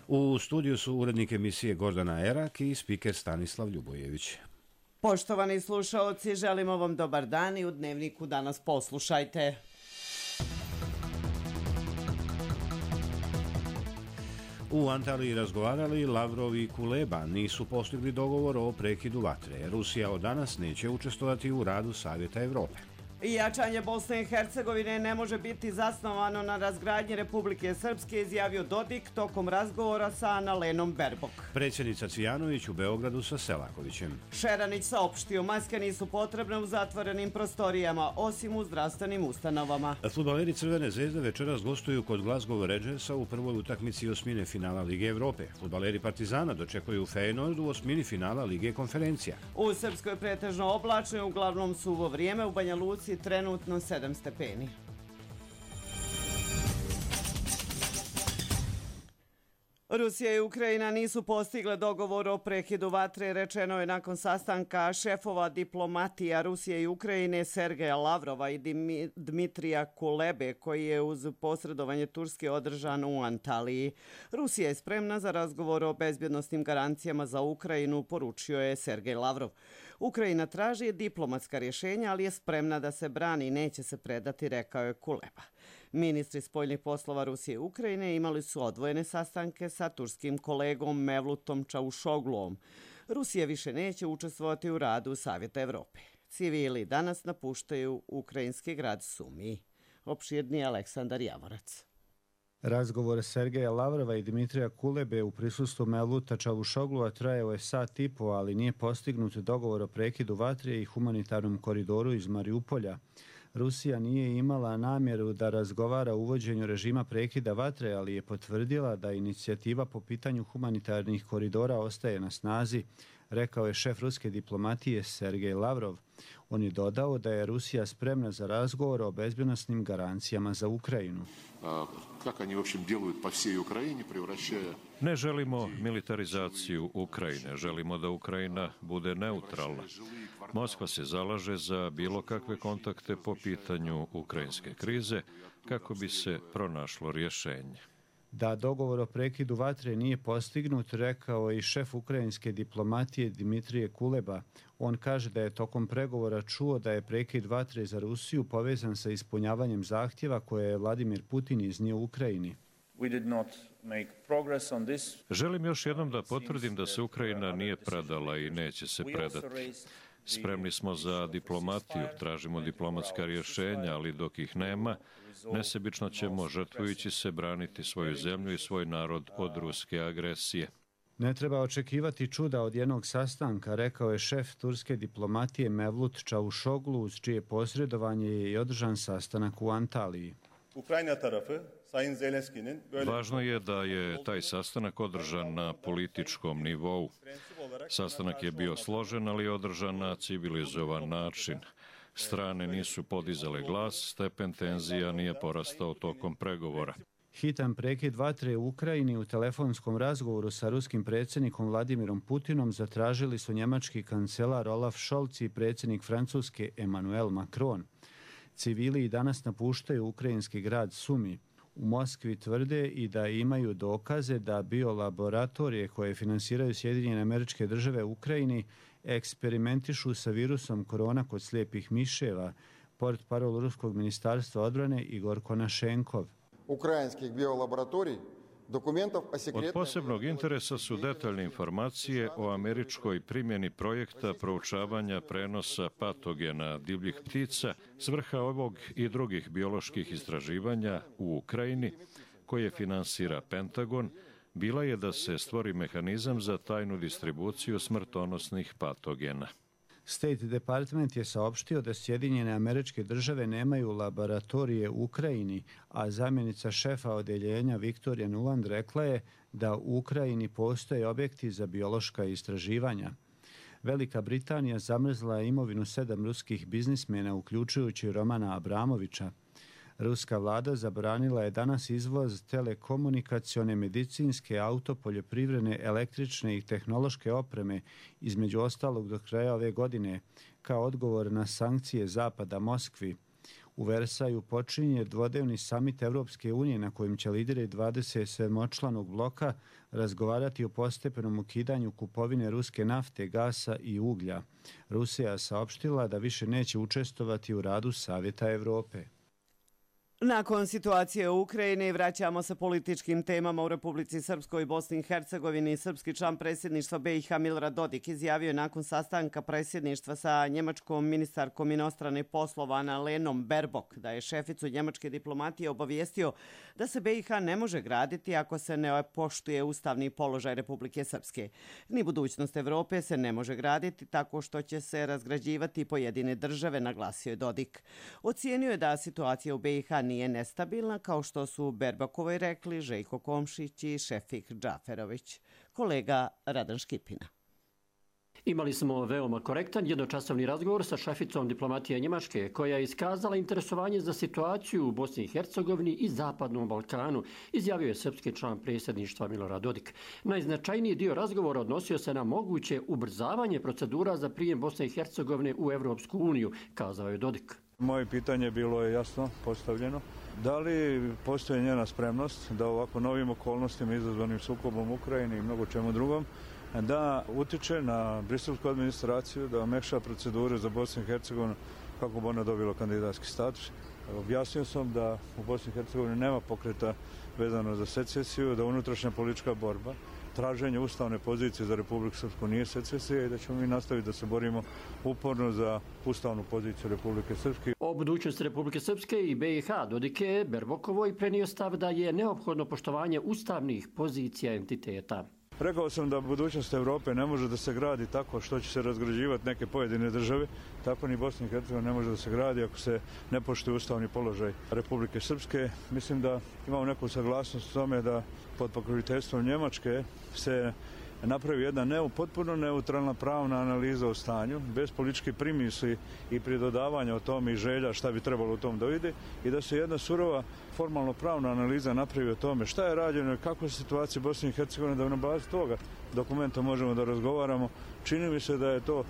U studiju su urednik emisije Gordana Erak i spiker Stanislav Ljubojević. Poštovani slušaoci, želimo vam dobar dan i u Dnevniku danas poslušajte. U Antaliji razgovarali Lavrov i Kuleba, nisu postigli dogovor o prekidu vatre. Rusija od danas neće učestvovati u radu Savjeta Evrope. Jačanje Bosne i Hercegovine ne može biti zasnovano na razgradnji Republike Srpske, izjavio Dodik tokom razgovora sa Annalenom Baerbock. Predsjednica Cvijanović u Beogradu sa Selakovićem. Šeranić saopštio, maske nisu potrebne u zatvorenim prostorijama, osim u zdravstvenim ustanovama. Fudbaleri Crvene zvezde večeras gostuju kod Glasgow Rangersa u prvoj utakmici osmine finala Lige Evrope. Fudbaleri Partizana dočekuju Feyenoord u osmini finala Lige konferencija. U Srpskoj pretežno oblačno, uglavnom suvo vrijeme, u Banja Luci trenutno 7 stepeni. Rusija i Ukrajina nisu postigle dogovor o prekidu vatre, rečeno je nakon sastanka šefova diplomatija Rusije i Ukrajine Sergeja Lavrova i Dmitrija Kulebe, koji je uz posredovanje Turske održan u Antaliji. Rusija je spremna za razgovor o bezbjednosnim garancijama za Ukrajinu, poručio je Sergej Lavrov. Ukrajina traži diplomatska rješenja, ali je spremna da se brani i neće se predati, rekao je Kuleba. Ministri spoljnih poslova Rusije i Ukrajine imali su odvojene sastanke sa turskim kolegom Mevlutom Čavušogluom. Rusija više neće učestvovati u radu Savjeta Evrope. Civili danas napuštaju ukrajinski grad Sumi. Opširniji Aleksandar Javorac. Razgovor Sergeja Lavrova i Dmitrija Kulebe u prisustvu Mevluta Čavušoglua trajao je sat i po, ali nije postignut dogovor o prekidu vatre i humanitarnom koridoru iz Mariupolja. Rusija nije imala namjeru da razgovara o uvođenju režima prekida vatre, ali je potvrdila da inicijativa po pitanju humanitarnih koridora ostaje na snazi, rekao je šef ruske diplomatije Sergej Lavrov. On je dodao da je Rusija spremna za razgovor o bezbjednosnim garancijama za Ukrajinu. Ne želimo militarizaciju Ukrajine, želimo da Ukrajina bude neutralna. Moskva se zalaže za bilo kakve kontakte po pitanju ukrajinske krize kako bi se pronašlo rješenje. Da dogovor o prekidu vatre nije postignut, rekao i šef ukrajinske diplomatije Dmitrije Kuleba. On kaže da je tokom pregovora čuo da je prekid vatre za Rusiju povezan sa ispunjavanjem zahtjeva koje je Vladimir Putin iznio Ukrajini. Želim još jednom da potvrdim da se Ukrajina nije predala i neće se predati. Spremni smo za diplomatiju, tražimo diplomatska rješenja, ali dok ih nema, nesebično ćemo žrtvujući se braniti svoju zemlju i svoj narod od ruske agresije. Ne treba očekivati čuda od jednog sastanka, rekao je šef turske diplomatije Mevlut Čavušoglu, uz čije posredovanje je i održan sastanak u Antaliji. Važno je da je taj sastanak održan na političkom nivou. Sastanak je bio složen, ali održan na civilizovan način. Strane nisu podizale glas, stepen tenzija nije porastao tokom pregovora. Hitan prekid vatre u Ukrajini u telefonskom razgovoru sa ruskim predsjednikom Vladimirom Putinom zatražili su njemački kancelar Olaf Scholz i predsjednik Francuske Emmanuel Macron. Civili i danas napuštaju ukrajinski grad Sumi. U Moskvi tvrde i da imaju dokaze da biolaboratorije koje finansiraju Sjedinjene Američke Države u Ukrajini eksperimentišu sa virusom korona kod slijepih miševa, portparol ruskog ministarstva odbrane Igor Konašenkov. Ukrajinskih biolaboratorij Od posebnog interesa su detaljne informacije o američkoj primjeni projekta proučavanja prenosa patogena divljih ptica s vrha ovog i drugih bioloških istraživanja u Ukrajini, koje finansira Pentagon, bila je da se stvori mehanizam za tajnu distribuciju smrtonosnih patogena. State Department je saopštio da Sjedinjene Američke Države nemaju laboratorije u Ukrajini, a zamjenica šefa odeljenja Viktorija Nuland rekla je da u Ukrajini postoje objekti za biološka istraživanja. Velika Britanija zamrzla je imovinu 7 ruskih biznismena, uključujući Romana Abramovića. Ruska vlada zabranila je danas izvoz telekomunikacione, medicinske, auto, poljoprivredne, električne i tehnološke opreme, između ostalog do kraja ove godine, kao odgovor na sankcije Zapada Moskvi. U Versaju počinje dvodnevni samit Evropske unije na kojem će lideri 27-članog bloka razgovarati o postepenom ukidanju kupovine ruske nafte, gasa i uglja. Rusija je saopštila da više neće učestvovati u radu Savjeta Evrope. Nakon situacije u Ukrajini vraćamo se političkim temama u Republici Srpskoj i Bosni i Hercegovini. Srpski član predsjedništva BiH Milorad Dodik izjavio je nakon sastanka predsjedništva sa njemačkom ministarkom inostranih poslova Annalenom Baerbock da je šeficu njemačke diplomatije obavijestio da se BiH ne može graditi ako se ne poštuje ustavni položaj Republike Srpske. Ni budućnost Evrope se ne može graditi tako što će se razgrađivati pojedine države, naglasio je Dodik. Ocijenio je da situacija u BiH nije nestabilna, kao što su Baerbockovoj rekli Željko Komšić i Šefik Džaferović. Kolega Radan Škipina. Imali smo veoma korektan jednočasovni razgovor sa šeficom diplomatije Njemačke, koja je iskazala interesovanje za situaciju u Bosni i Hercegovini i Zapadnom Balkanu, izjavio je srpski član predsjedništva Milorad Dodik. Najznačajniji dio razgovora odnosio se na moguće ubrzavanje procedura za prijem Bosne i Hercegovine u Evropsku uniju, kazao je Dodik. Moje pitanje bilo je jasno postavljeno. Da li postoji njena spremnost da ovako novim okolnostima izazvanim sukobom u Ukrajini i mnogo čemu drugom da utiče na briselsku administraciju, da omekša procedure za Bosnu i Hercegovinu kako bi ona dobila kandidatski status. Objasnio sam da u Bosni i Hercegovini nema pokreta vezano za secesiju, da unutrašnja politička borba, traženje ustavne pozicije za Republiku Srpsku nije secesija i da ćemo mi nastaviti da se borimo uporno za ustavnu poziciju Republike Srpske. O budućnosti Republike Srpske i BiH Dodik je Baerbockovoj prenio stav da je neophodno poštovanje ustavnih pozicija entiteta. Rekao sam da budućnost Evrope ne može da se gradi tako što će se razgrađivati neke pojedine države, tako ni Bosna i Hercegovina ne može da se gradi ako se ne poštuje ustavni položaj Republike Srpske. Mislim da imamo neku saglasnost o tome da pod pokroviteljstvom Njemačke se napravi jedna potpuno neutralna pravna analiza o stanju, bez političke primisli i pridodavanja o tome i želja šta bi trebalo u tom dovidi i da se jedna surova formalno pravna analiza napravi o tome šta je rađeno i kakva je situacija Bosne i Hercegovine, da na bazi toga dokumenta možemo da razgovaramo. Čini mi se da je to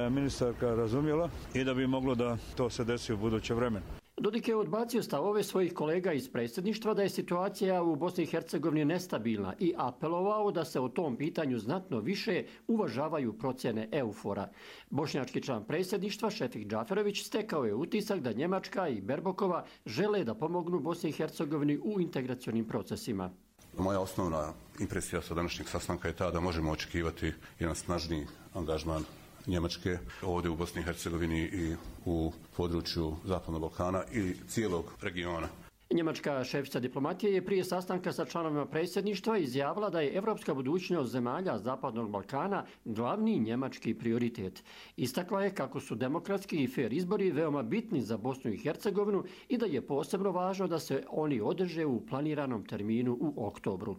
ministarka razumjela i da bi moglo da to se desi u buduće vremenu. Dodik je odbacio stavove svojih kolega iz predsjedništva da je situacija u Bosni i Hercegovini nestabilna i apelovao da se o tom pitanju znatno više uvažavaju procjene EUFOR-a. Bošnjački član predsjedništva Šefik Džaferović stekao je utisak da Njemačka i Baerbockova žele da pomognu Bosni i Hercegovini u integracionim procesima. Moja osnovna impresija sa današnjeg sastanka je ta da možemo očekivati jedan snažniji angažman Njemačke ovdje u Bosni i Hercegovini i u području Zapadnog Balkana i cijelog regiona. Njemačka šefica diplomatije je prije sastanka sa članovima predsjedništva izjavila da je evropska budućnost zemalja Zapadnog Balkana glavni njemački prioritet. Istakla je kako su demokratski i fer izbori veoma bitni za Bosnu i Hercegovinu i da je posebno važno da se oni održe u planiranom terminu u oktobru.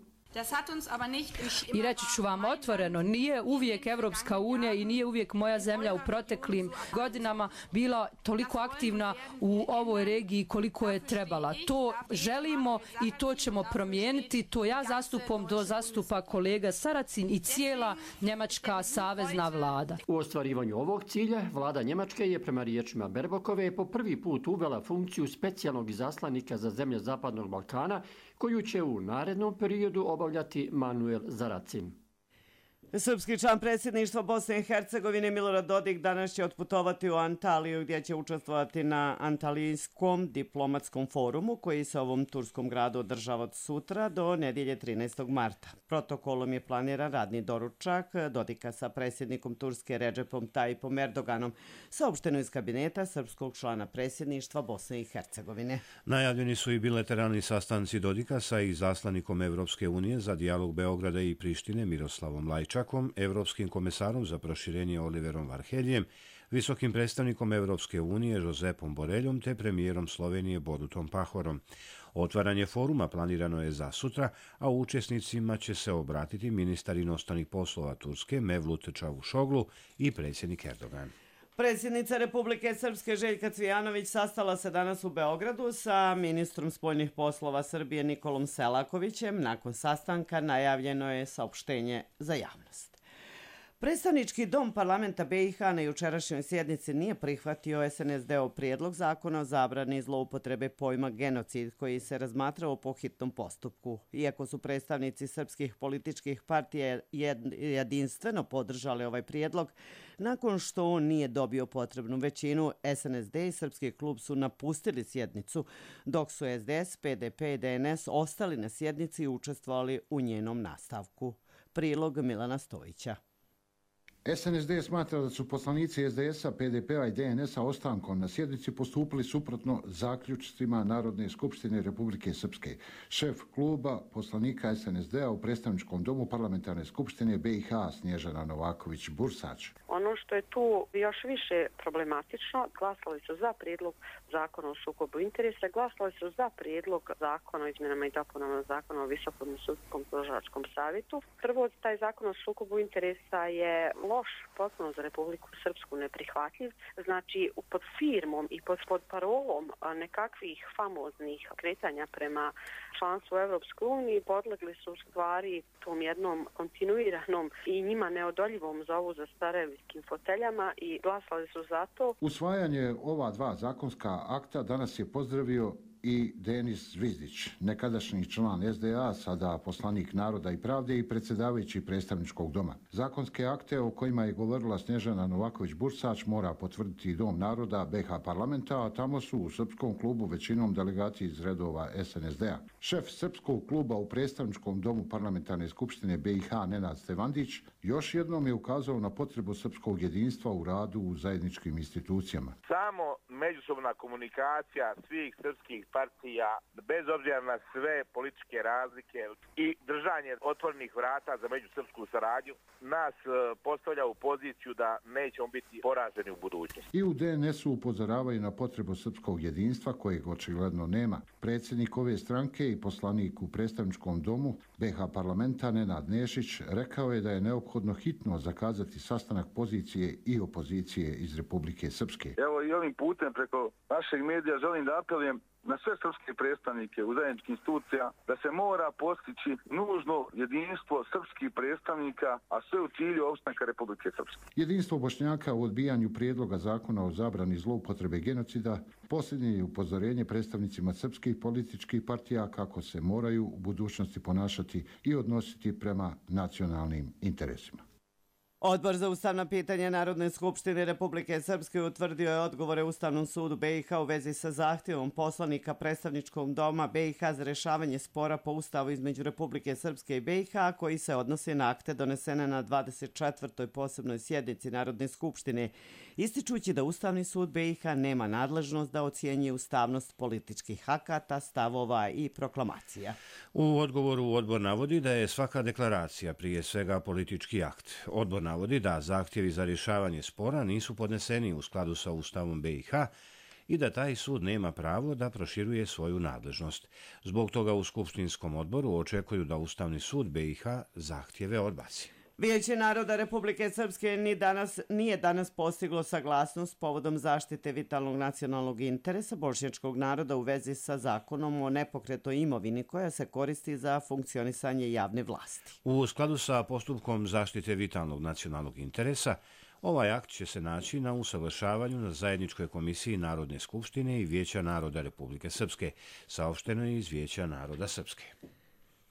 I reći ću vam otvoreno, nije uvijek Evropska unija i nije uvijek moja zemlja u proteklim godinama bila toliko aktivna u ovoj regiji koliko je trebala. To želimo i to ćemo promijeniti. To ja zastupam, to zastupa kolega Saracin i cijela njemačka savezna vlada. U ostvarivanju ovog cilja vlada Njemačke je prema riječima Baerbockove po prvi put uvela funkciju specijalnog izaslanika za zemlje Zapadnog Balkana, koju će u narednom periodu obavljati Manuel Saracin. Srpski član predsjedništva Bosne i Hercegovine Milorad Dodik danas će otputovati u Antaliju gdje će učestvovati na Antalijskom diplomatskom forumu koji se ovom turskom gradu održava od sutra do nedjelje 13. marta. Protokolom je planiran radni doručak Dodika sa predsjednikom Turske Redžepom Tayyipom Erdoganom, saopšteno iz kabineta srpskog člana predsjedništva Bosne i Hercegovine. Najavljeni su i bilateralni sastanci Dodika sa izaslanikom Evropske unije za dijalog Beograda i Prištine Miroslavom Lajčakom, evropskim komesarom za proširenje Oliverom Varheljem, visokim predstavnikom Evropske unije Josepom Boreljom te premijerom Slovenije Borutom Pahorom. Otvaranje foruma planirano je za sutra, a učesnicima će se obratiti ministar inostranih poslova Turske Mevlut Čavuşoglu i predsjednik Erdogan. Predsjednica Republike Srpske Željka Cvijanović sastala se danas u Beogradu sa ministrom spoljnih poslova Srbije Nikolom Selakovićem. Nakon sastanka najavljeno je saopštenje za javnost. Predstavnički dom parlamenta BiH na jučerašnjoj sjednici nije prihvatio SNSD-ov prijedlog zakona o zabrani zloupotrebe pojma genocid koji se razmatrao po hitnom postupku. Iako su predstavnici srpskih političkih partija jedinstveno podržali ovaj prijedlog, nakon što on nije dobio potrebnu većinu, SNSD i Srpski klub su napustili sjednicu, dok su SDS, PDP i DNS ostali na sjednici i učestvovali u njenom nastavku. Prilog Milana Stojića. SNSD smatra da su poslanici SDS-a, PDP-a i DNS-a ostankom na sjednici postupili suprotno zaključcima Narodne skupštine Republike Srpske. Šef kluba poslanika SNSD-a u predstavničkom domu parlamentarne skupštine BiH Snježana Novaković-Bursač. Ono što je tu još više problematično, glasali su za prijedlog zakona o sukobu interesa, glasali su za prijedlog zakona o izmjenama i dopunama zakona o Visokom sudskom tužilačkom savjetu. Prvo, taj zakon o sukobu interesa je loš potpuno za Republiku Srpsku, neprihvatljiv. Znači, pod firmom i pod parolom nekakvih famoznih kretanja prema članstvu u Evropskoj uniji podlegli su u stvari tom jednom kontinuiranom i njima neodoljivom zovu za starevskim foteljama i glasali su za to. Usvajanje ova dva zakonska akta danas je pozdravio i Denis Zvizdić, nekadašnji član SDA, sada poslanik Naroda i pravde i predsjedavajući predstavničkog doma. Zakonske akte o kojima je govorila Snježana Novaković-Bursač mora potvrditi Dom Naroda BiH parlamenta, a tamo su u Srpskom klubu većinom delegati iz redova SNSD-a. Šef Srpskog kluba u predstavničkom domu parlamentarne skupštine BiH Nenad Stevandić još jednom je ukazao na potrebu srpskog jedinstva u radu u zajedničkim institucijama. Samo međusobna komunikacija svih srpskih partija, bez obzira na sve političke razlike i držanje otvorenih vrata za međusrpsku saradnju, nas postavlja u poziciju da nećemo biti poraženi u budućnosti. I u DNS-u upozoravaju na potrebu srpskog jedinstva, kojeg očigledno nema. Predsjednik ove stranke i poslanik u predstavničkom domu BiH parlamenta Nenad Nešić rekao je da je neophodno hitno zakazati sastanak pozicije i opozicije iz Republike Srpske. Evo i ovim putem preko našeg medija želim da apelujem na sve srpske predstavnike u zajedničkih institucija da se mora postići nužno jedinstvo srpskih predstavnika, a sve u cilju opstanka Republike Srpske. Jedinstvo Bošnjaka u odbijanju prijedloga zakona o zabrani zloupotrebe genocida posljednje je upozorenje predstavnicima srpskih političkih partija kako se moraju u budućnosti ponašati i odnositi prema nacionalnim interesima. Odbor za ustavna pitanja Narodne skupštine Republike Srpske utvrdio je odgovore Ustavnom sudu BiH u vezi sa zahtjevom poslanika predstavničkog doma BiH za rješavanje spora po Ustavu između Republike Srpske i BiH koji se odnosi na akte donesene na 24. posebnoj sjednici Narodne skupštine, ističući da Ustavni sud BiH nema nadležnost da ocjenjuje ustavnost političkih akata, stavova i proklamacija. U odgovoru odbor navodi da je svaka deklaracija prije svega politički akt. Odbor navodi da zahtjevi za rješavanje spora nisu podneseni u skladu sa Ustavom BiH i da taj sud nema pravo da proširuje svoju nadležnost. Zbog toga u Skupštinskom odboru očekuju da Ustavni sud BiH zahtjeve odbaci. Vijeće naroda Republike Srpske nije danas postiglo saglasnost povodom zaštite vitalnog nacionalnog interesa bošnjačkog naroda u vezi sa zakonom o nepokretnoj imovini koja se koristi za funkcionisanje javne vlasti. U skladu sa postupkom zaštite vitalnog nacionalnog interesa, ovaj akt će se naći na usavršavanju na zajedničkoj komisiji Narodne skupštine i Vijeća naroda Republike Srpske, saopšteno je iz Vijeća naroda Srpske.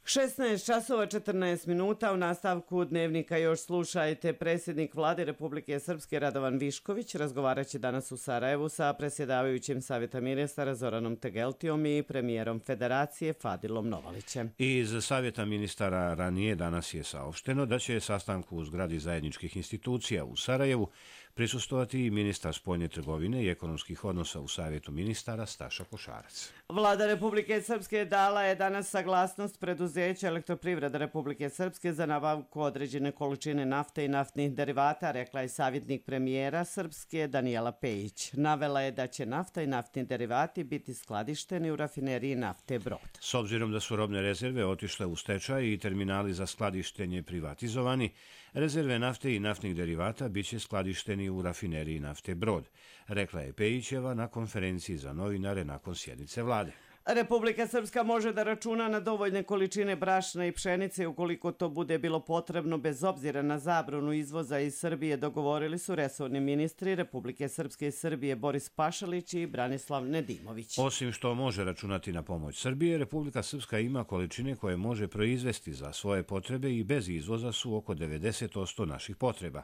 16 časova 14 minuta u nastavku dnevnika još slušajte. Predsjednik vlade Republike Srpske Radovan Višković razgovarat će danas u Sarajevu sa predsjedavajućim Savjeta ministara Zoranom Tegeltijom i premijerom Federacije Fadilom Novalićem. Iz Savjeta ministara ranije danas je saopšteno da će sastanku u zgradi zajedničkih institucija u Sarajevu prisustovati i ministar spoljne trgovine i ekonomskih odnosa u Savjetu ministara Staša Košarac. Vlada Republike Srpske dala je danas saglasnost preduzeća Elektroprivreda Republike Srpske za nabavku određene količine nafte i naftnih derivata, rekla je savjetnik premijera Srpske Danijela Pejić. Navela je da će nafta i naftni derivati biti skladišteni u rafineriji nafte Brod. S obzirom da su robne rezerve otišle u stečaj i terminali za skladištenje privatizovani, rezerve nafte i naftnih derivata biće skladišteni u rafineriji nafte Brod, rekla je Pejićeva na konferenciji za novinare nakon sjednice vlade. Republika Srpska može da računa na dovoljne količine brašna i pšenice ukoliko to bude bilo potrebno bez obzira na zabranu izvoza iz Srbije, dogovorili su resorni ministri Republike Srpske i Srbije Boris Pašalić i Branislav Nedimović. Osim što može računati na pomoć Srbije, Republika Srpska ima količine koje može proizvesti za svoje potrebe i bez izvoza su oko 90% naših potreba.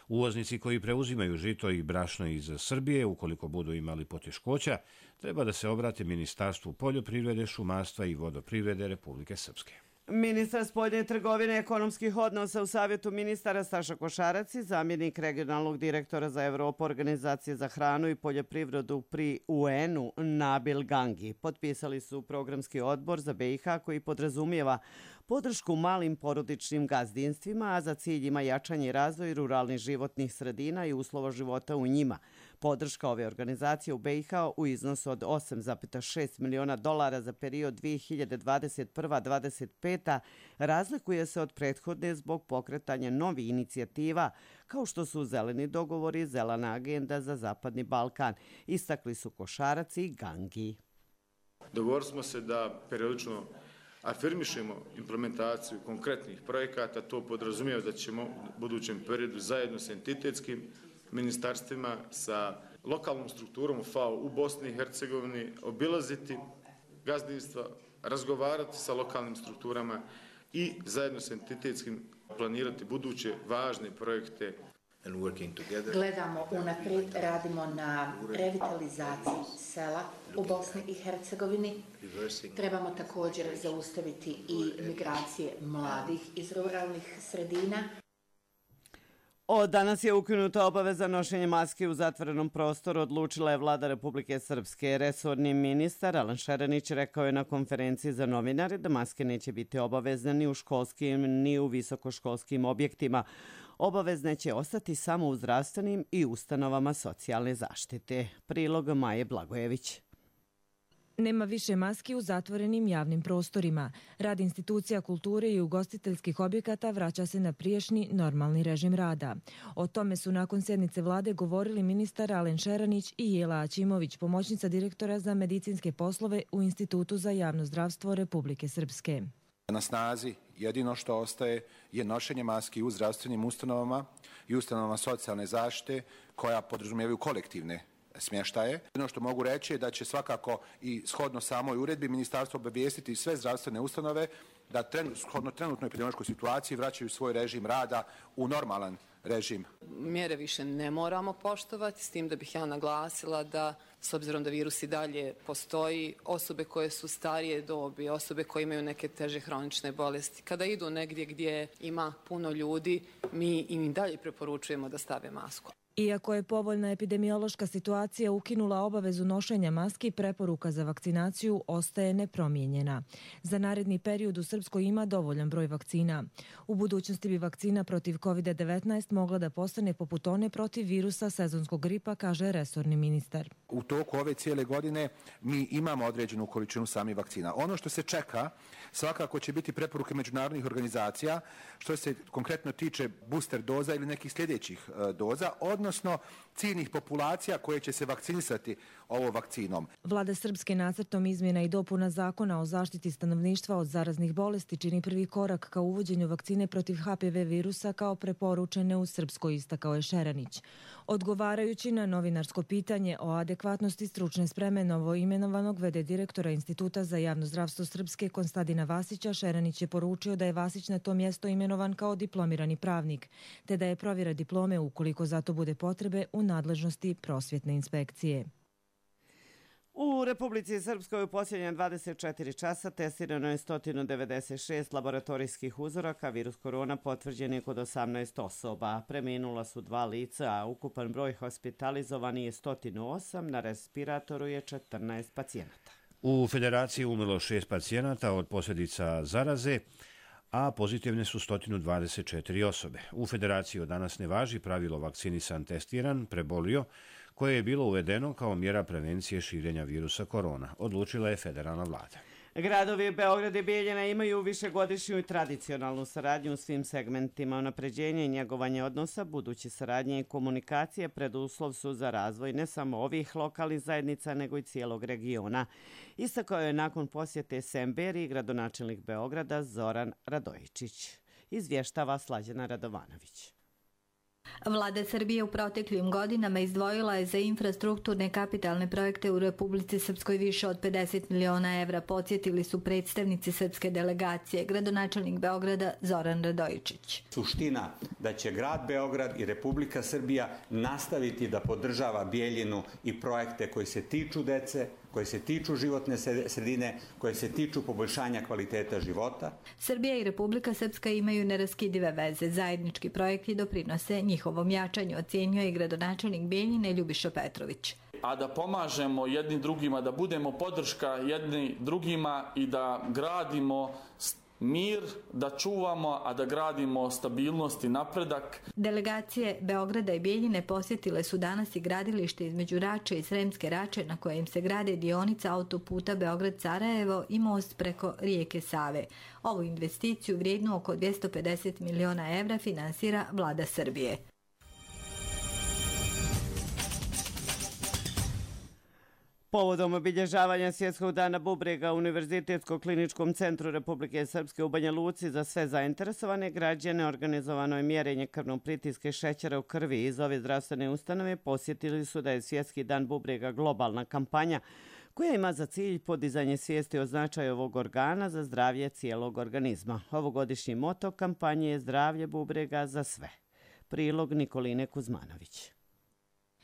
Uvoznici koji preuzimaju žito i brašno iz Srbije, ukoliko budu imali poteškoća, treba da se obrate Ministarstvu poljoprivrede, šumarstva i vodoprivrede Republike Srpske. Ministar spoljne trgovine i ekonomskih odnosa u Savjetu ministara Staša Košarac i zamjenik regionalnog direktora za Evropu Organizacije za hranu i poljoprivredu pri UN-u Nabil Gangi potpisali su programski odbor za BiH koji podrazumijeva podršku malim porodičnim gazdinstvima, a za cilj ima jačanje i razvoj ruralnih životnih sredina i uslova života u njima. Podrška ove organizacije u BiH u iznosu od $8,6 miliona za period 2021-2025 razlikuje se od prethodne zbog pokretanja novih inicijativa, kao što su zeleni dogovori, zelena agenda za Zapadni Balkan. Istakli su Košarac i Gangi. Dogovorili smo se da periodično afirmišemo implementaciju konkretnih projekata. To podrazumijeva da ćemo u budućem periodu zajedno sa entitetskim ministarstvima, sa lokalnom strukturom FAO u Bosni i Hercegovini obilaziti gazdinstva, razgovarati sa lokalnim strukturama i zajedno sa entitetskim planirati buduće važne projekte. Gledamo unaprijed, radimo na revitalizaciji sela u Bosni i Hercegovini. Trebamo također zaustaviti i migracije mladih iz ruralnih sredina. Od danas je ukinuta obaveza nošenja maske u zatvorenom prostoru, odlučila je vlada Republike Srpske. Resorni ministar Alan Šeranić rekao je na konferenciji za novinare da maske neće biti obavezne ni u školskim ni u visokoškolskim objektima. Obavezne će ostati samo u zdravstvenim i ustanovama socijalne zaštite. Prilog Maje Blagojević. Nema više maski u zatvorenim javnim prostorima. Rad institucija kulture i ugostiteljskih objekata vraća se na prijašnji normalni režim rada. O tome su nakon sjednice vlade govorili ministar Alen Šeranić i Jela Aćimović, pomoćnica direktora za medicinske poslove u Institutu za javno zdravstvo Republike Srpske. Na snazi jedino što ostaje je nošenje maski u zdravstvenim ustanovama i ustanovama socijalne zaštite koja podrazumijevaju kolektivne smještaje. Ono što mogu reći je da će svakako i shodno samoj uredbi ministarstvo obavijestiti sve zdravstvene ustanove da shodno trenutnoj epidemiološkoj situaciji vraćaju svoj režim rada u normalan režim. Mjere više ne moramo poštovati, s tim da bih ja naglasila da s obzirom da virus i dalje postoji, osobe koje su starije dobi, osobe koje imaju neke teže hronične bolesti, kada idu negdje gdje ima puno ljudi, mi im i dalje preporučujemo da stave masku. Iako je povoljna epidemiološka situacija ukinula obavezu nošenja maski, preporuka za vakcinaciju ostaje nepromijenjena. Za naredni period u Srpskoj ima dovoljan broj vakcina. U budućnosti bi vakcina protiv COVID-19 mogla da postane poput one protiv virusa sezonskog gripa, kaže resorni ministar. U toku ove cijele godine mi imamo određenu količinu samih vakcina. Ono što se čeka svakako će biti preporuke međunarodnih organizacija što se konkretno tiče booster doza ili nekih sljedećih doza, odnosno ciljnih populacija koje će se vakcinisati ovom vakcinom. Vlada Srpske nacrtom izmjena i dopuna zakona o zaštiti stanovništva od zaraznih bolesti čini prvi korak ka uvođenju vakcine protiv HPV virusa kao preporučene u Srpskoj, istakao je Šeranić. Odgovarajući na novinarsko pitanje o adekvatnosti stručne spreme novoimenovanog v.d. direktora Instituta za javno zdravstvo Srpske Konstantina Vasića, Šeranić je poručio da je Vasić na to mjesto imenovan kao diplomirani pravnik, te da je provjera diplome, ukoliko za to bude potrebe, u nadležnosti prosvjetne inspekcije. U Republici Srpskoj u posljednje 24 časa testirano je 196 laboratorijskih uzoraka. Virus korona potvrđen je kod 18 osoba. Preminula su 2 lica, a ukupan broj hospitalizovani je 108, na respiratoru je 14 pacijenata. U Federaciji umrlo 6 pacijenata od posljedica zaraze, a pozitivne su 124 osobe. U Federaciji od danas ne važi pravilo vakcinisan testiran, prebolio, koje je bilo uvedeno kao mjera prevencije širenja virusa korona, odlučila je federalna vlada. Gradovi Beograd i Bijeljina imaju višegodišnju i tradicionalnu saradnju u svim segmentima. Unapređenje i njegovanje odnosa, buduće saradnje i komunikacije preduslov su za razvoj ne samo ovih lokalnih zajednica, nego i cijelog regiona. Istakao je nakon posjete Semberiji gradonačelnik Beograda Zoran Radojičić. Izvještava Slađana Radovanović. Vlada Srbije u proteklim godinama izdvojila je za infrastrukturne kapitalne projekte u Republici Srpskoj više od 50 miliona evra, podsjetili su predstavnici srpske delegacije, gradonačelnik Beograda Zoran Radojičić. Suština da će grad Beograd i Republika Srbija nastaviti da podržava Bijeljinu i projekte koji se tiču dece, koje se tiču životne sredine, koje se tiču poboljšanja kvaliteta života. Srbija i Republika Srpska imaju neraskidive veze. Zajednički projekti doprinose njihovom jačanju, ocjenjuje i gradonačelnik Bijeljine Ljubiša Petrović. A da pomažemo jedni drugima, da budemo podrška jedni drugima i da gradimo mir, da čuvamo, a da gradimo stabilnost i napredak. Delegacije Beograda i Bijeljine posjetile su danas i gradilište između Rače i Sremske Rače na kojem se grade dionica autoputa Beograd-Sarajevo i most preko rijeke Save. Ovu investiciju vrijednu oko 250 miliona evra finansira Vlada Srbije. Povodom obilježavanja Svjetskog dana bubrega u Univerzitetskog kliničkom centru Republike Srpske u Banja Luci za sve zainteresovane građane organizovano je mjerenje krvnog pritiska i šećera u krvi. Iz ove zdravstvene ustanove posjetili su da je Svjetski dan bubrega globalna kampanja koja ima za cilj podizanje svijesti o značaju ovog organa za zdravlje cijelog organizma. Ovogodišnji moto kampanje je zdravlje bubrega za sve. Prilog Nikoline Kuzmanović.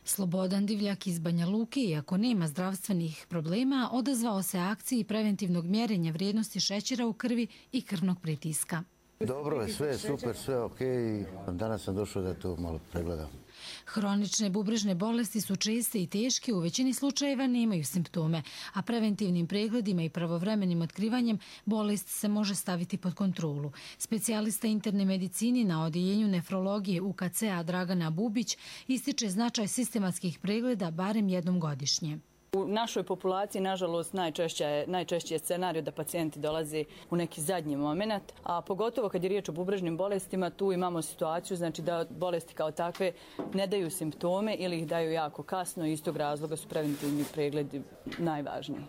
Slobodan Divljak iz Banja Luke, iako nema zdravstvenih problema, odazvao se akciji preventivnog mjerenja vrijednosti šećera u krvi i krvnog pritiska. Dobro je, sve je super, sve je okej. Danas sam došao da to malo pregledam. Hronične bubrežne bolesti su česte i teške, u većini slučajeva nemaju simptome, a preventivnim pregledima i pravovremenim otkrivanjem bolest se može staviti pod kontrolu. Specijalista interne medicini na odjeljenju nefrologije UKC-a Dragana Bubić ističe sistematskih pregleda barem jednom godišnje. U našoj populaciji, nažalost, najčešći je scenarij da pacijenti dolaze u neki zadnji moment, a pogotovo kad je riječ o bubrežnim bolestima, tu imamo situaciju da bolesti kao takve ne daju simptome ili ih daju jako kasno i iz tog razloga su preventivni pregledi najvažniji.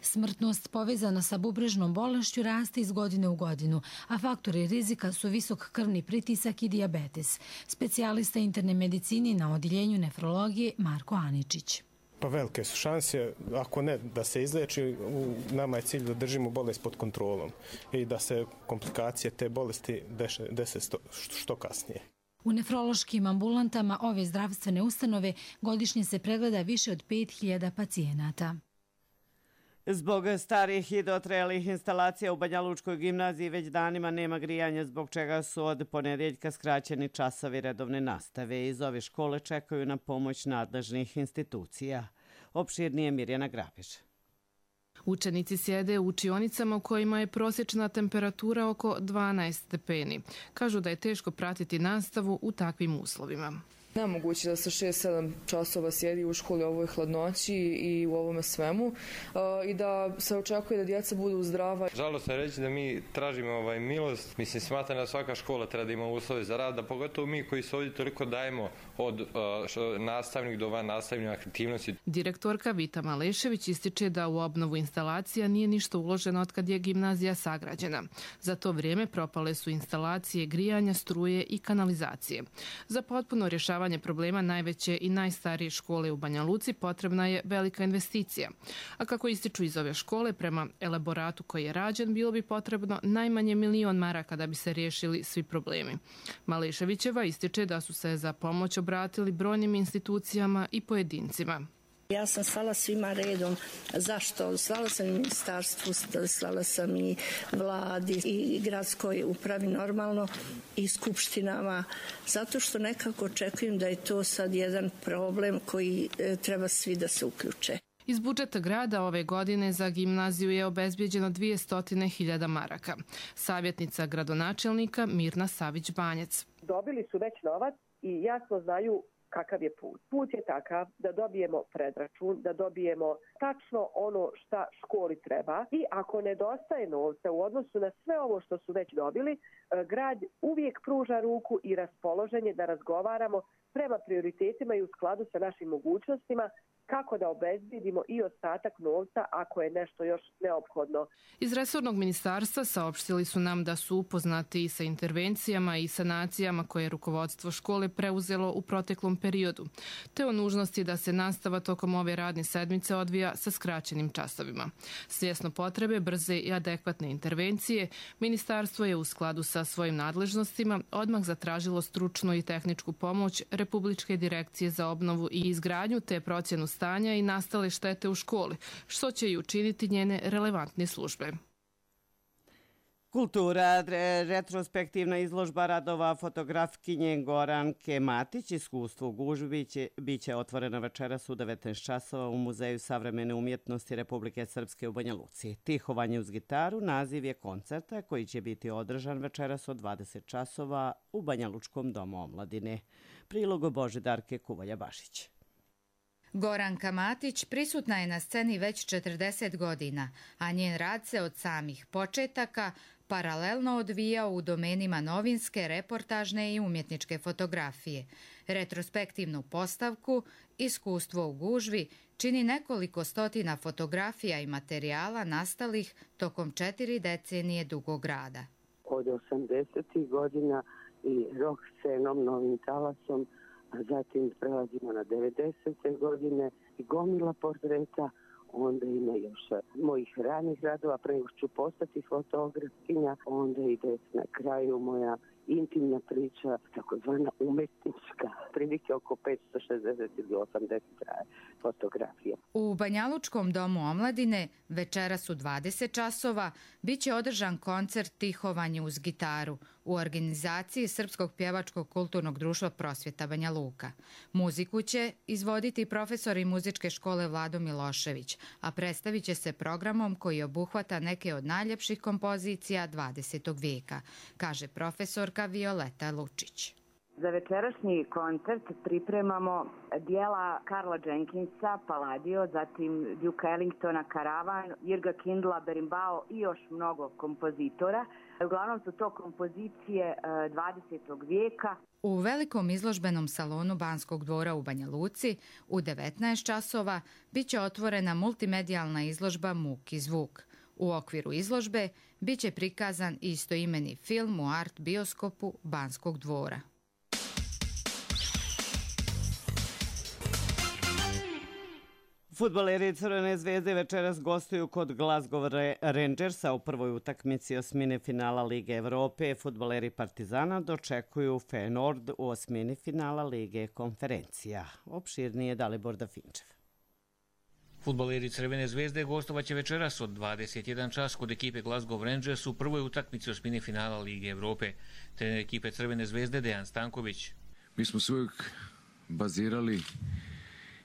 Smrtnost povezana sa bubrežnom bolešću raste iz godine u godinu, a faktori rizika su visok krvni pritisak i dijabetes. Specijalista interne medicini na odjeljenju nefrologije Marko Aničić. Pa velike su šanse, ako ne da se izleči, nama je cilj da držimo bolest pod kontrolom i da se komplikacije te bolesti dese što kasnije. U nefrološkim ambulantama ove zdravstvene ustanove godišnje se pregleda više od 5000 pacijenata. Zbog starih i dotrajalih instalacija u Banja Lučkoj gimnaziji već danima nema grijanja, zbog čega su od ponedjeljka skraćeni časovi redovne nastave. Iz ove škole čekaju na pomoć nadležnih institucija. Opširnije Mirjana Grabić. Učenici sjede u učionicama u kojima je prosječna temperatura oko 12 stepeni. Kažu da je teško pratiti nastavu u takvim uslovima. Nemoguće da se 6-7 časova sjedi u školi u ovoj hladnoći i u ovome svemu i da se očekuje da djeca budu zdrava. Žalostno je reći da mi tražimo milost. Mislim, smatram da svaka škola treba da ima uslove za rad, da pogotovo mi koji se ovdje toliko dajemo od nastavnih do van nastavnih aktivnosti. Direktorka Vita Malešević ističe da u obnovu instalacija nije ništa uloženo od kad je gimnazija sagrađena. Za to vrijeme propale su instalacije grijanja, struje i kanalizacije. Za potpuno rješavanje problema najveće i najstarije škole u Banja Luci potrebna je velika investicija. A kako ističu iz ove škole, prema elaboratu koji je rađen, bilo bi potrebno najmanje 1.000.000 maraka da bi se riješili svi problemi. Maleševićeva ističe da su se za pomoć obratili brojnim institucijama i pojedincima. Ja sam slala svima redom. Zašto? Slala sam i ministarstvu, slala sam i vladi i gradskoj upravi normalno i skupštinama. Zato što nekako očekujem da je to sad jedan problem koji treba svi da se uključe. Iz budžeta grada ove godine za gimnaziju je obezbijeđeno 200.000 maraka. Savjetnica gradonačelnika Mirna Savić-Banjac. Dobili su već novac i jasno znaju kakav je put. Put je takav da dobijemo predračun, da dobijemo tačno ono šta školi treba i ako nedostaje novca u odnosu na sve ovo što su već dobili, grad uvijek pruža ruku i raspoloženje da razgovaramo prema prioritetima i u skladu sa našim mogućnostima kako da obezbedimo i ostatak novca ako je nešto još neophodno. Iz resornog ministarstva saopštili su nam da su upoznati i sa intervencijama i sanacijama koje je rukovodstvo škole preuzelo u proteklom periodu, te o nužnosti da se nastava tokom ove radne sedmice odvija sa skraćenim časovima. Svjesno potrebe brze i adekvatne intervencije, ministarstvo je u skladu sa svojim nadležnostima odmah zatražilo stručnu i tehničku pomoć Republičke direkcije za obnovu i izgradnju te procjenu stanja i nastale štete u školi, što će i učiniti njene relevantne službe. Kultura, retrospektivna izložba radova fotografkinje Goranke Matić, iskustvo u gužvi, biće otvorena večeras u 19 časova u Muzeju savremene umjetnosti Republike Srpske u Banja Luci. Tihovanje uz gitaru naziv je koncerta koji će biti održan večeras od 20 časova u Banja Lučkom domu omladine. Prilog Božidarke Kuvalja-Bašić. Goranka Matić prisutna je na sceni već 40 godina, a njen rad se od samih početaka paralelno odvijao u domenima novinske, reportažne i umjetničke fotografije. Retrospektivnu postavku, iskustvo u gužvi, čini nekoliko stotina fotografija i materijala nastalih tokom 4 decenije dugog rada. Od 80. godina i rock scenom, novim talasom, a zatim prelazimo na 90. godine i gomila portreta, onda ima još mojih ranih radova, pre nego ću postati fotografkinja, onda ide na kraju moja intimna priča, takozvana umetnička, prilike oko 560 ili 80 fotografija. U Banjalučkom domu omladine večeras u 20 časova biće održan koncert Tihovanje uz gitaru u organizaciji Srpskog pjevačkog kulturnog društva Prosvjeta Banja Luka. Muziku će izvoditi profesori muzičke škole Vlado Milošević, a predstavit će se programom koji obuhvata neke od najljepših kompozicija 20. vijeka, kaže profesorka Violeta Lučić. Za večerašnji koncert pripremamo dijela Karla Jenkinsa, Palladio, zatim Duke Ellingtona, Karavan, Jirga Kindla, Berimbau i još mnogo kompozitora. Uglavnom su to kompozicije 20. vijeka. U velikom izložbenom salonu Banskog dvora u Banja Luci u 19 časova biće otvorena multimedijalna izložba Muk i zvuk. U okviru izložbe biće prikazan istoimeni film u art bioskopu Banskog dvora. Fudbaleri Crvene zvezde večeras gostuju kod Glasgow Rangersa u prvoj utakmici osmine finala Lige Evrope. Fudbaleri Partizana dočekuju Feyenoord u osmini finala Lige konferencija. Opširnije Dalibor Dafinčev. Fudbaleri Crvene zvezde gostovaće večeras od 21 čas kod ekipe Glasgow Rangers u prvoj utakmici osmine finala Lige Evrope. Trener ekipe Crvene zvezde Dejan Stanković. Mi smo se uvijek bazirali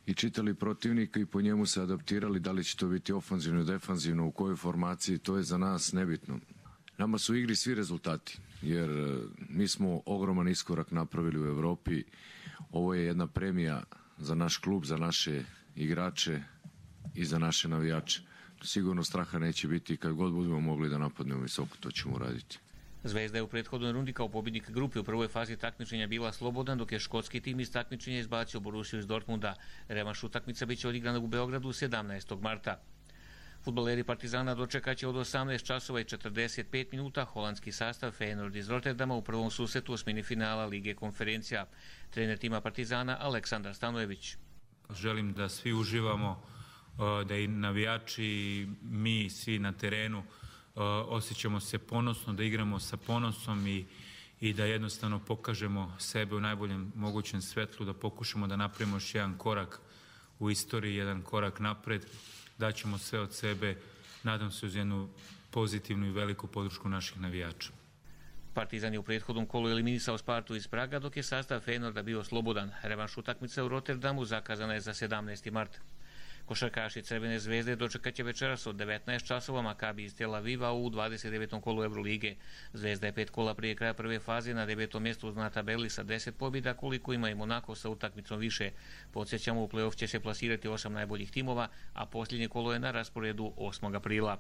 i čitali protivnika i po njemu se adaptirali, da li će to biti ofanzivno, defanzivno, u kojoj formaciji, to je za nas nebitno. Nama su u igri svi rezultati, jer mi smo ogroman iskorak napravili u Evropi. Ovo je jedna premija za naš klub, za naše igrače i za naše navijače. Sigurno straha neće biti, kad god budemo mogli da napadnemo visoko, to ćemo uraditi. Zvezda je u prethodnoj rundi kao pobjednik grupe u prvoj fazi takmičenja bila slobodan, dok je škotski tim iz takmičenja izbacio Borussiju iz Dortmunda. Revanš utakmica biće odigrana u Beogradu 17. marta. Fudbaleri Partizana dočekaće od 18 časova i 45 minuta holandski sastav Feyenoord iz Rotterdama u prvom susretu osmini finala Lige konferencija. Trener tima Partizana Aleksandar Stanojević. Želim da svi uživamo, da i navijači i mi svi na terenu osjećamo se ponosno, da igramo sa ponosom i da jednostavno pokažemo sebe u najboljem mogućem svetlu, da pokušamo da napravimo još jedan korak u istoriji, jedan korak napred, daćemo sve od sebe, nadam se uz jednu pozitivnu i veliku podršku naših navijača. Partizan je u prethodnom kolu eliminisao Spartu iz Praga, dok je sastav Feyenoorda bio slobodan. Revanš utakmica u Rotterdamu zakazana je za 17. mart. Košarkaši Crvene zvezde dočekaće večeras od 19 časova Makabi iz Tel Aviva u 29. kolu Evrolige. Zvezda je 5 kola prije kraja prve faze na 9. mjestu na tabeli sa 10 pobjeda, koliko ima i Monako sa utakmicom više. Podsjećamo, u play-off će se plasirati 8 najboljih timova, a posljednje kolo je na rasporedu 8. aprila.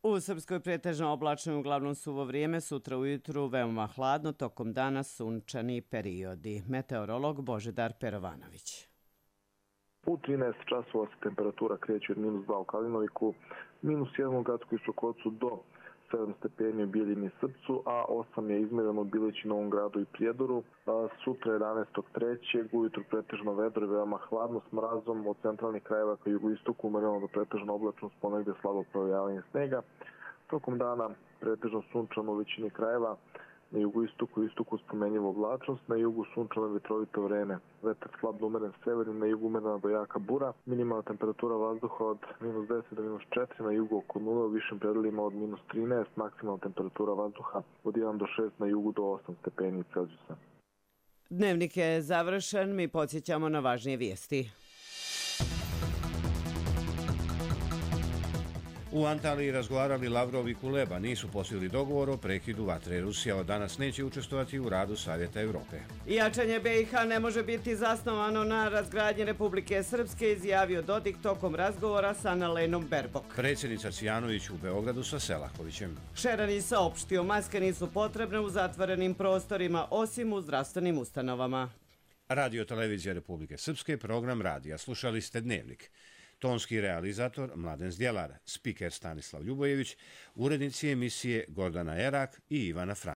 U Srpskoj pretežno oblačno i uglavnom suvo vrijeme, sutra ujutru veoma hladno, tokom dana sunčani periodi. Meteorolog Božidar Perovanović. U 13 časova se temperatura kreće od -2 u Kalinoviku, -1 u Gradskoj Sokocu do 7 stepeni u Bijeljini i Srpcu, a 8 je izmjereno u Bilići, Novom Gradu i Prijedoru. Sutra 11.3. ujutru pretežno vedro i veoma hladno s mrazom, od centralnih krajeva ka jugoistoku umereno do pretežno oblačno s ponegde slabo provejavanje snega. Tokom dana pretežno sunčano u većini krajeva, na jugoistoku i istoku spomenjivo oblačnost, na jugu sunčano vetrovito vreme. Vetar slab do umeren severni, na jugu umerena do jaka bura. Minimalna temperatura vazduha od -10 do -4, na jugu oko 0, u višim predelima od -13, maksimalna temperatura vazduha od 1 do 6, na jugu do 8 stepeni Celzijusa. Dnevnik je završen, mi podsjećamo na važnije vijesti. U Antaliji razgovarali Lavrov i Kuleba, nisu postigli dogovor o prekidu vatre. Rusija od danas neće učestvovati u radu Savjeta Evrope. Jačanje BiH ne može biti zasnovano na razgradnji Republike Srpske, izjavio Dodik tokom razgovora sa Annalenom Baerbock. Predsjednica Cvijanović u Beogradu sa Selakovićem. Šerani saopštio, maske nisu potrebne u zatvorenim prostorima, osim u zdravstvenim ustanovama. Radio Televizija Republike Srpske, program radija. Slušali ste Dnevnik. Tonski realizator Mladen Zdjelar, spiker Stanislav Ljubojević, urednici emisije Gordana Erak i Ivana Frank.